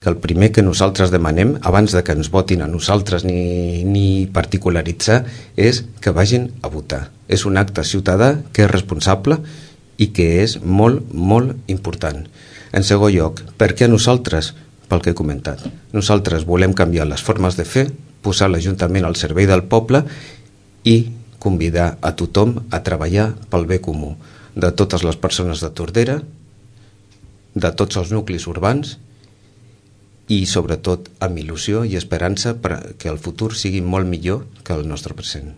que el primer que nosaltres demanem, abans de que ens votin a nosaltres ni particularitzar, és que vagin a votar. És un acte ciutadà que és responsable i que és molt, molt important. En segon lloc, perquè nosaltres, pel que he comentat, nosaltres volem canviar les formes de fer, posar l'Ajuntament al servei del poble i convidar a tothom a treballar pel bé comú de totes les persones de Tordera, de tots els nuclis urbans i sobretot amb il·lusió i esperança perquè el futur sigui molt millor que el nostre present.